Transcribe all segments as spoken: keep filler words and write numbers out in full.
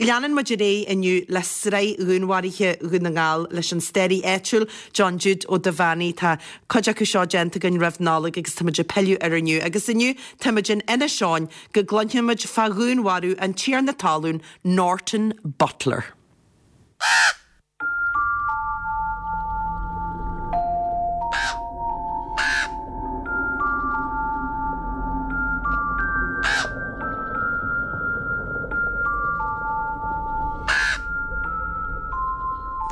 leanann muid ar aghaidh inniu le sraith dhúnmharuithe Dhún na nGall leis an staraí áitiúil John Jude Ó Duibheannaigh tá cuid acu seo déanta againn roimh Nollaig agus táimid ag pilleadh air inniu. Agus inniu táimid in Inis Eoghain go gcluinfimid fá dhúnmharú an tiarna talún Norton Butler.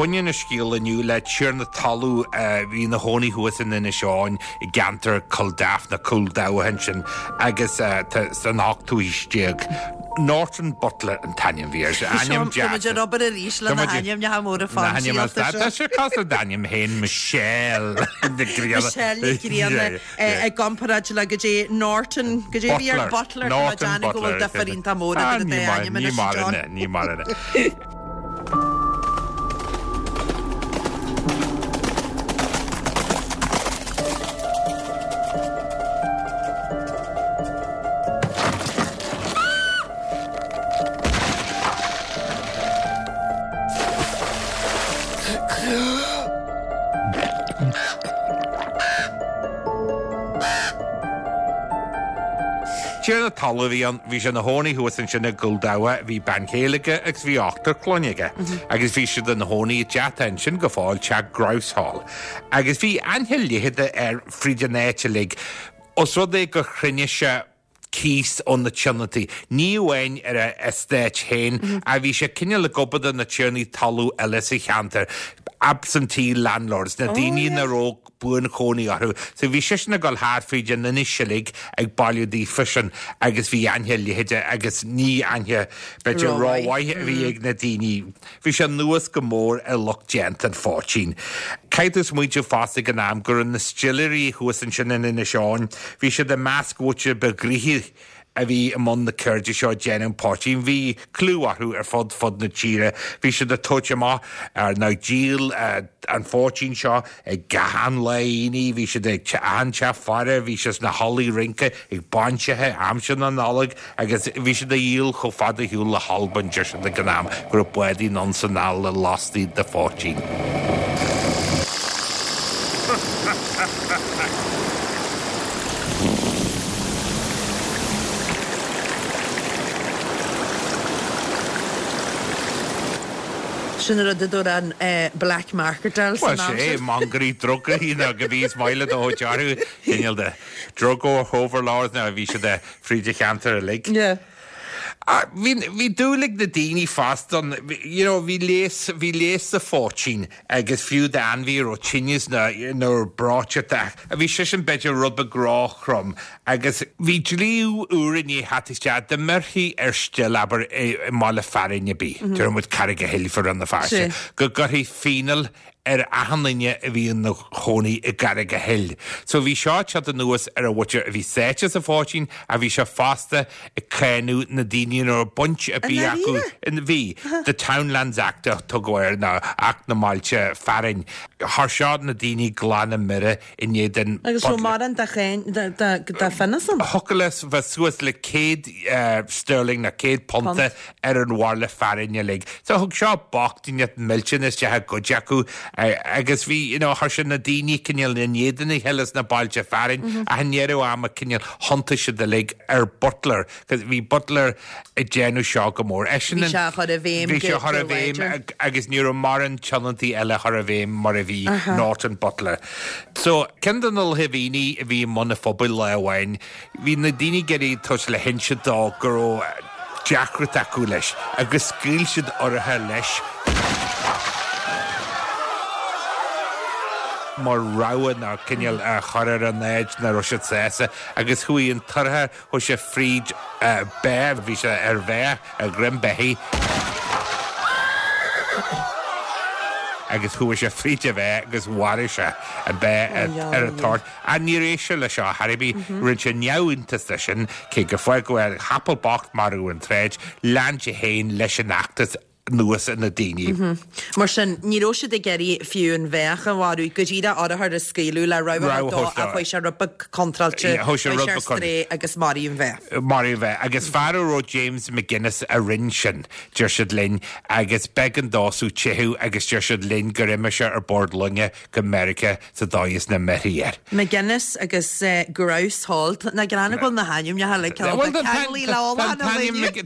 Baineann an scéal inniu le tiarna talún a bhí ina chónaí thuas in Inis Eoghain i gceantar Culdaff nó Cúl Dabha ansin agus san ochtú haois déag. Norton Butler an t-ainm a bhí air. Ainm deas. Táimid ar obair arís le na hainmneacha móra fáinsialta seo. Tá sé cosúil le d'ainm féin Michelle Nic Grianna. Michelle Nic Grianna i gcomparáid le goidé Norton, goidé a bhí ar Butler, tá mé ag déanamh go bhfuil difear iontach mór idir an dá ainm anois, John. Ní mar ina. Tiarna talún a bhí ann, bhí sé ina chónaí thuas ansin i gCúl Dabha, bhí bean chéile aige agus bhí ochtar clainne aige. Agus bhí siad ina chónaí i dteach atá ansin go fóill, teach Grouse Hall. Agus bhí aithne leitheadach air fríd an áit uilig, os rud é gur chruinnigh sé cíos ó na tionóntaí, ní amháin ar a eastát féin, ach bhí sé cineál ag obair do na tiarnaí talún eile sa cheantar, absentee landlords, na daoine nach raibh buanchónaí orthu. So bhí seisean ag dul thart fríd an inis uilig ag bailiú daofasan agus bhí aithne leitheadach agus ní aithne b'fhéidir rómhaith a bhí ag na daoine. Bhí sé anuas go mór ar lucht déanta an phoitín. Caithfidh tú smaointiú fosta ag an am go raibh na stiléirí thuas ansin in Inis Eoghain, bhí siad i measc mhuintir ba ghnoithí a bhí i mbun na ceirde seo ag déanamh an phoitín. Bhí clú orthu ar fud fud na tíre. Bhí siad ag tabhairt amach ar nó díol an phoitín seo ag achan lá aonaigh, bhí siad ag achan teach faire, bhí siad sna hallaí rince ag bainseacha aimsir na Nollag agus bhí siad á dhíol chomh fada ar shiúl le hAlbain, deir siad ag an am, go raibh bádaí anonn 's anall le lastaí de phoitín. Sin an rud a dúirt an black market san Bhuel, am sé, sin. mangairí drugaí nó go bhí is maith le do chuid orthu, cineál de drug overlords nó bhí siad fríd an cheantar uilig. Yeah. Bhí, bhí dúil ag na daoine fosta ann, you know, bhí leigheas, bhí leigheas sa phoitín agus fiú d'ainmhí a raibh tinneas nó, nó breoiteacht ach bhí sé sin b'fhéidir rud beag róthrom agus bhí dlí úr i ndiaidh theacht isteach dá mbeirfí ar still, abair, i, i mbaile fearainn ar bith, déarfaidh muid Carraig an Chill fá Rann na Feirste, go gcuirfí fíneáil ar achan duine a bhí ina chónaí i gCarraig an Chill. So bhí seo ag teacht anuas ar an mhuintir a bhí sáite sa phoitín ach bhí sé fosta ag cáineadh na daoine nach raibh baint ar bith acu. Bhí. The Townlands Act a tugadh air nó Acht na mBailte Fearainn. Chuir seo na daoine glan i mire i ndiaidh den Agus raibh mórán de cháin, de phionós ann? Thiocfadh le bheith suas le céad sterling nó céad punta ar an bhaile fearainn uilig. So thug seo bochtaineacht millteanach isteach i gcuid acu agus bhí, you know, chuir sé na daoine cineál in éadan a chéile sna bailte fearainn ach i ndeireadh ama cineál thiontaigh siad uilig ar Butler, cos bhí Butler ag déanamh seo go mór. Eisean Bhí sé á chur i bhfeidhm Bhí sé á chur i bhfeidhm agus ní raibh mórán tionóntaí eile á chur i bhfeidhm mar a bhí Norton Butler. So, ceann de na dhaoine a bhí i mbun an phobail lá amháin, bhí na daoine ag iarraidh tabhairt le hinse dó go raibh deacracht acu leis agus scaoil siad urchar leis mar rabhadh nó cineál a chur ar an áit nach raibh siad sásta agus chuaigh an t-urchar, chuaigh sé fríd bá, bhí sé ar bhá, ar dhroim beithígh agus chuaigh sé fríd an bhá agus mharaigh sé an bá ar an toirt. Ach níor éist sé leis seo ar bith, rinne sé neamhiontas de sin, cé gur fágadh a chapall bocht marbh ar an tsráid, lean sé féin leis an fheachtas. anuas ar na daoine. Mar sin, ní raibh siad ag iarraidh fiú an bheach a mharú, go díreach urchar a scaoileadh le rabhadh Rabhadh a dó a ach chuaigh sé rud beag contráilte, Yeah, chuaigh sé chuaigh rud sé ar beag con- strae agus maraíodh an bheach. Maraíodh an bheach. Agus fear a raibh James McGuinness a rinne sin, deir siad linn, agus b'éigean dósan teitheadh agus deir siad linn gur imigh sé ar bord loinge go Meiriceá sa dóigh is nach mbeirfí air. McGuinness agus eh, Grouse Hall, na grana go bhfuil na hainmneacha le Well, ceann ceanglaí le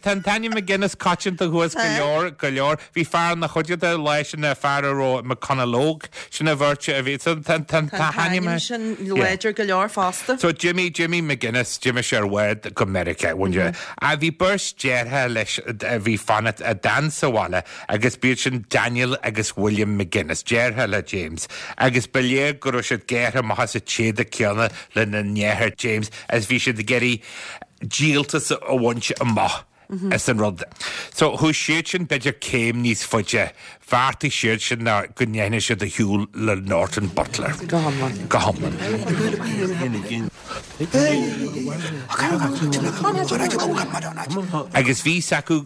Tá an t-ainm McGuinness coitianta thuas go leor go leor. Bhí fear na chuide leis na fear a raibh McConnellóg sin a bheirt a bhí tá Tá ainm sin láidir go leor fosta. So Jimmy Jimmy McGuinness Jimmy sé ar bhád go Meiriceá mm A bhí beirt deartháir leis a bhí fanacht a d'fhan sa bhaile agus b'iad sin Daniel agus William McGuinness deartháir le James agus ba léir go raibh siad gearrtha amach as an téada céanna lena ndeartháir James agus bhí siad ag iarraidh díoltas a bhaint amach. As an rud. So chuaigh siad sin b'fhéidir céim níos faide, bheartaigh siad sin ná go ndéanfaidh siad ar shiúl le Norton Butler. Go hiomlán. Go hiomlán. Agus bhí a fhios acu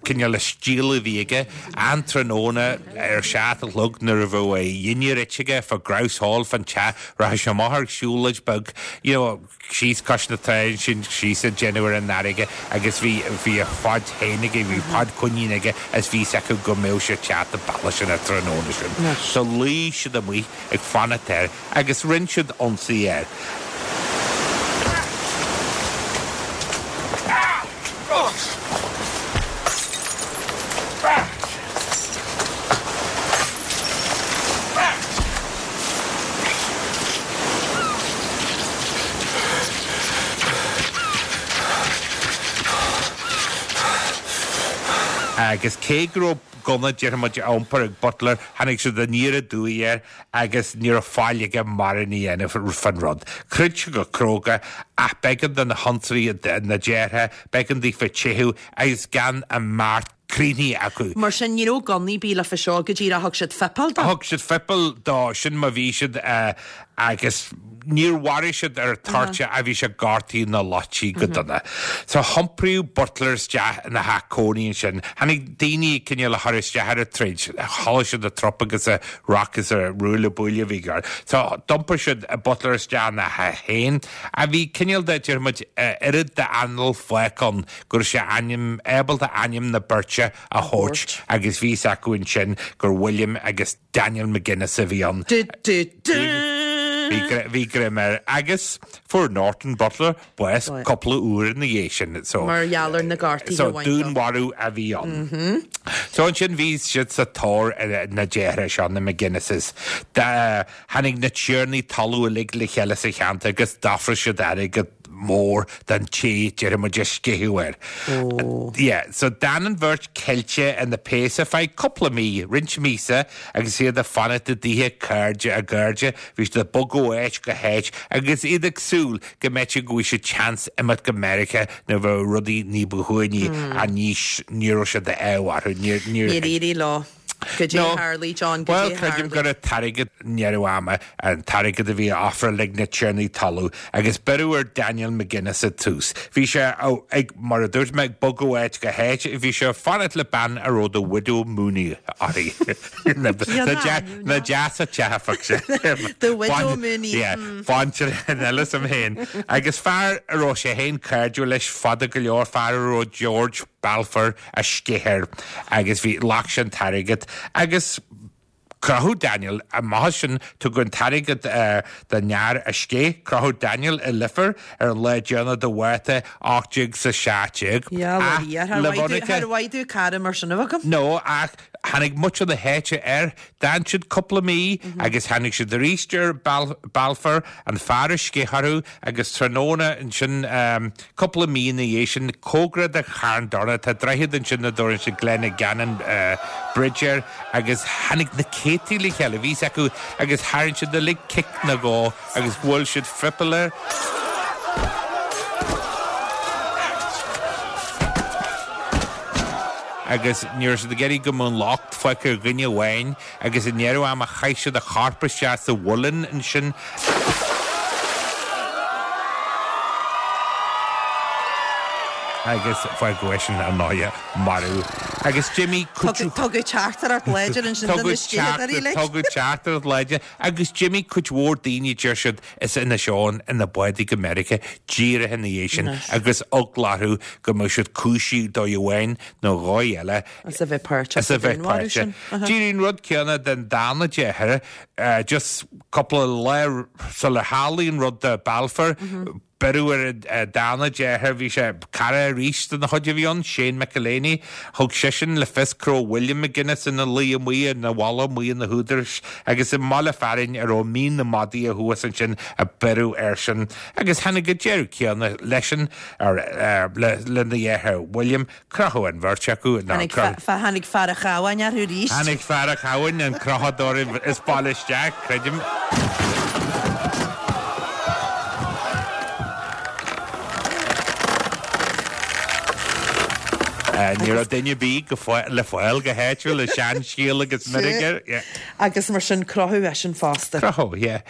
cineál an stíl a bhí aige an tráthnóna ar seacht a chlog nuair a bheadh a dhinnéar ite aige fá Grouse Hall fan teach rachadh sé amach ar siúlóid beag you know, síos cois na trá sin síos ag déanamh ar an fharraige agus bhí bhí a phod féin aige, bhí pod coinín aige agus bhí a fhios acu go mbeadh sé teacht abhaile sin an tráthnóna sin. So luigh siad amuigh ag fanacht air agus rinne siad ionsaí air. Agus cé go raibh gunna déarfaidh muid á iompar ag Butler, tháinig siad aniar aduaidh air agus ní raibh faill aige mórán a dhéanamh fan rud. Throid sé go cróga ach b'éigean do na hionsaithe na deartháir, b'éigean daofa teitheadh agus gan a mbeart críochnaithe acu. Mar sin ní raibh gunnaí ar bith leofa seo go díreach thug siad fuipeáil dó. Thug siad fuipeáil dó sin má bhí siad agus níor mharaigh siad ar toirte a bhí sé gortaithe ná loitithe go dona. So iompraíodh Butler isteach ina theach cónaí ansin. Tháinig daoine cineál a chur isteach ar an troid, chuala siad an trup agus an rac agus an ruaille buaille a bhí gar. So d'iompair siad Butler isteach ina theach féin a bhí cineál de déarfaidh muid oiread d'anáil fágtha ann go raibh sé ainm ábalta ainm na beirte a thabhairt agus bhí a fhios acu ansin gur William agus Daniel McGuinness a bhí ann. Du, du, du. Bhí greim air agus fuair Norton Butler bás cúpla uair ina dhiaidh sin. So, Mar gheall ar na gortuithe so a bhain dó. dúnmharú a bhí ann. So ansin bhí siad sa tóir ar na deartháireacha seo, na McGuinnesses. Tháinig na tiarnaí talún uilig le chéile sa cheantar agus d'ofráil siad airgead mór don té déarfaidh muid a sceitheadh air. Yeah, so d'fhan an bheirt ceilte ina péas ar feadh cúpla mí, roinnt míosa, agus iad ag fanacht i dtithe cairde a gcairde, bhí siad ag bogadh ó áit go háit agus iad ag súil go mb'fhéidir go bhfuil siad seans imeacht go Meiriceá nuair a bheadh rudaí ní ba shuaimhní ach ní ní raibh siad ádh orthu. Níor Níor éirigh leo. Goidé No. tharla, John, Well, goidé creidim tharla. gur an t-airgead i ndeireadh ama, an t-airgead a bhí á ofráil ag na tiarnaí talún, agus beireadh ar Daniel McGuinness i dtús. Bhí sé ag, mar a dúirt mé, ag bogadh ó áit go háit, bhí sé ag fanacht le bean a raibh The Widow Mooney uirthi. Na na deasa teafach sé. The Widow Mooney. Yeah, baintear an eile sam féin. Agus fear a raibh sé féin cairdiúil leis fada go leor, fear a raibh George Balfour a sceith air agus bhí ghlac sé an t-airgead agus crochadh Daniel amach sin tugadh an t-airgead don fhear a sceith crochadh Daniel i Leifear ar an lá deireanach de Mhárta ocht déag is a seacht déag. Yeah, le Thar mhaith domh cara mar sin a bheith agam. No, ach tháinig muintir na háite air, d'fhan siad cúpla mí agus tháinig siad arís ar Balfour, an fear a sceith orthu agus tráthnóna ansin cúpla mí ina dhiaidh sin, cóngarach do Charn Domhnach, tá droichead ansin a dtabharann siad Glenagannon Bridge air agus tháinig na céadtaí le chéile, bhí a fhios acu agus tharraing siad uilig cic nó dhó agus bhuail siad fripil air. Agus ní raibh siad ag iarraidh go mbeadh an locht fágtha ar dhuine amháin agus i ndeireadh ama chaith siad a chorp isteach sa mhuileann ansin. agus fágadh eisean ar ndóighe marbh. Agus d'imigh cuid. Tugadh teachtaireacht láidir ansin do na sceithidí like. Tugadh teachtaireacht láidir agus d'imigh cuid mhór daoine, deir siad, as Inis Eoghain ina bádaí go Meiriceá díreach ina dhiaidh sin agus eagla orthu go mbeadh siad cúisithe dóigh amháin nó dhóigh eile. As a bheith páirteach sa dúnmharú sin. D'éirigh an rud céanna den darna deartháir, just cúpla lá sular tharlaigh an rud do Balfour, Beireadh ar an darna deartháir, bhí sé cara arís den chuid a bhí ann, Shane McEleney. Thug seisean le fios go raibh William McGuinness ina luí amuigh ina mholadh amuigh na húdaráis agus i mbaile fearainn a raibh Mín na Madaí thuas ansin a beireadh airsean. Agus tháinig an deireadh céanna leisean, lena dheartháir William. Crochadh an bheirt acu. Tháinig fear an Chabháin orthu arís. Tháinig fear an Chabháin, an crochadóir is baile isteach, creidim. Ní raibh duine ar bith le fáil go háitiúil le seanscéal agus meirg air. Agus mar sin crochadh eisean fosta. Crochadh, yeah.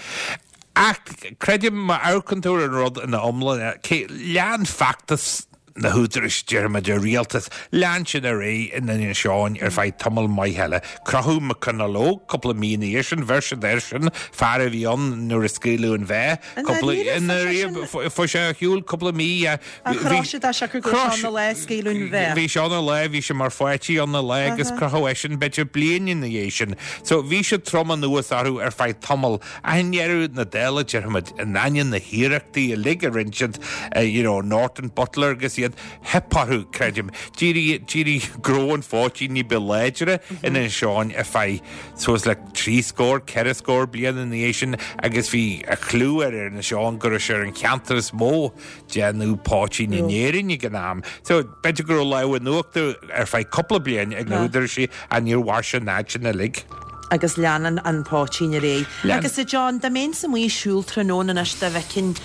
Ach creidim má amharcann tú ar an rud ina iomlán, lean feachtas na húdaráis, déarfaimid, an rialtas, lean sin ar aghaidh in Inis Eoghain ar feadh tamall maith eile. Crochadh McConnell Óg cúpla mí ina dhiaidh sin, bheir siad air sin, fear a bhí ann nuair a scaoileadh an bhá, cúpla, i ndáiríre, fuair sé ar shiúl cúpla mí. Ach chroch siad é siocair go raibh sé ann an lá a scaoileadh an bhá. Bhí sé ann an lá, bhí sé mar pháirtí ann an lá agus crochadh eisean b'fhéidir bliain ina dhiaidh sin. So bhí siad trom anuas orthu ar feadh tamaill. Ach i ndeireadh na dála, déarfaimid, in ainneoin na hiarrachtaí uilig a rinne siad, you know, Norton, Butler agus iad, theip orthu, creidim. D'éirigh, d'éirigh gnó an phoitín ní ba láidre in Inis Eoghain ar feadh suas le trí scór, ceithre scór bliain ina dhiaidh sin agus bhí a chlú ar Inis Eoghain go raibh sé ar an cheantar is mó déanamh poitín in Éirinn ag an am. So b'fhéidir go raibh lámh in uachtar ar feadh cúpla bliain ag na húdaráis ach níor mhair sé an fhad sin uilig. Agus leanann an poitín ar aghaidh. Agus a John, dá mbeinnse amuigh ag siúl tráthnóna anois dá bhfeicfinn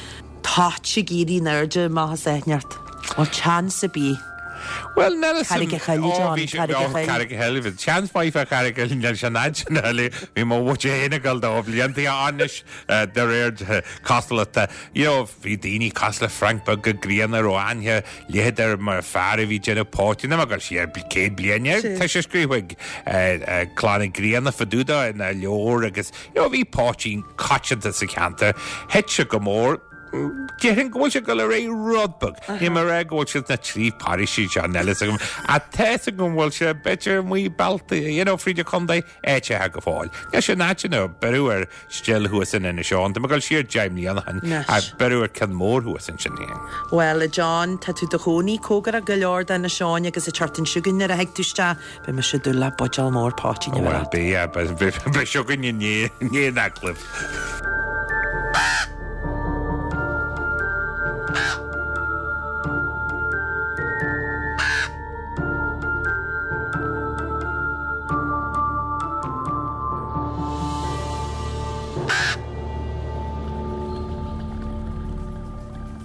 toit ag éirí in airde amach as áit inteacht. Bhfuil seans ar bith? Bhuel, níl 'fhios Carraig a' Choill, Ó, John, bhí sé, Carraig a' ó, Choill. Carraig a' Choill, bhí seans maith fá Charraig a' Choill, níl sé an fhad sin a thuilleadh. Bhí mo mhuintir féin ag dul dó blianta anois, de réir cosúlachta. You know, bhí daoine cosúil le Frank Beag Ó Grianna a raibh aithne leithead air mar fear a bhí ag déanamh poitín, níl mé ag dul siar céad bliain air, tá sé scríofa ag Clann Uí Ghrianna fá dtaobh dó ina leabhar agus, you know, bhí poitín coitianta sa cheantar. Thit sé go mór. Déarfainn go bhfuil sé ag dul ar aghaidh rud beag. Níl mé ag rá go bhfuil sé sna trí paróistí seo, níl 'fhios agam. Ach tá 'fhios agam go bhfuil sé b'fhéidir amuigh bealtaí, you know, fríd an chontae, áiteacha go fóill. Níl sé in áiteanna beireadh ar still thuas in Inis Eoghain. Tá mé ag dul siar deich mbliana ó shin, ach beireadh ar ceann mór thuas ansin. Bhuel, a John, tá tú do chónaí cóngarach go leor d'Inis Eoghain agus an tseachtain seo chugainn nuair a thig tú isteach, beidh mise ag dúil le buidéal mór poitín a bheith Bhuel, agat. beidh, beidh, beidh seo againn i ndiaidh an agallaimh.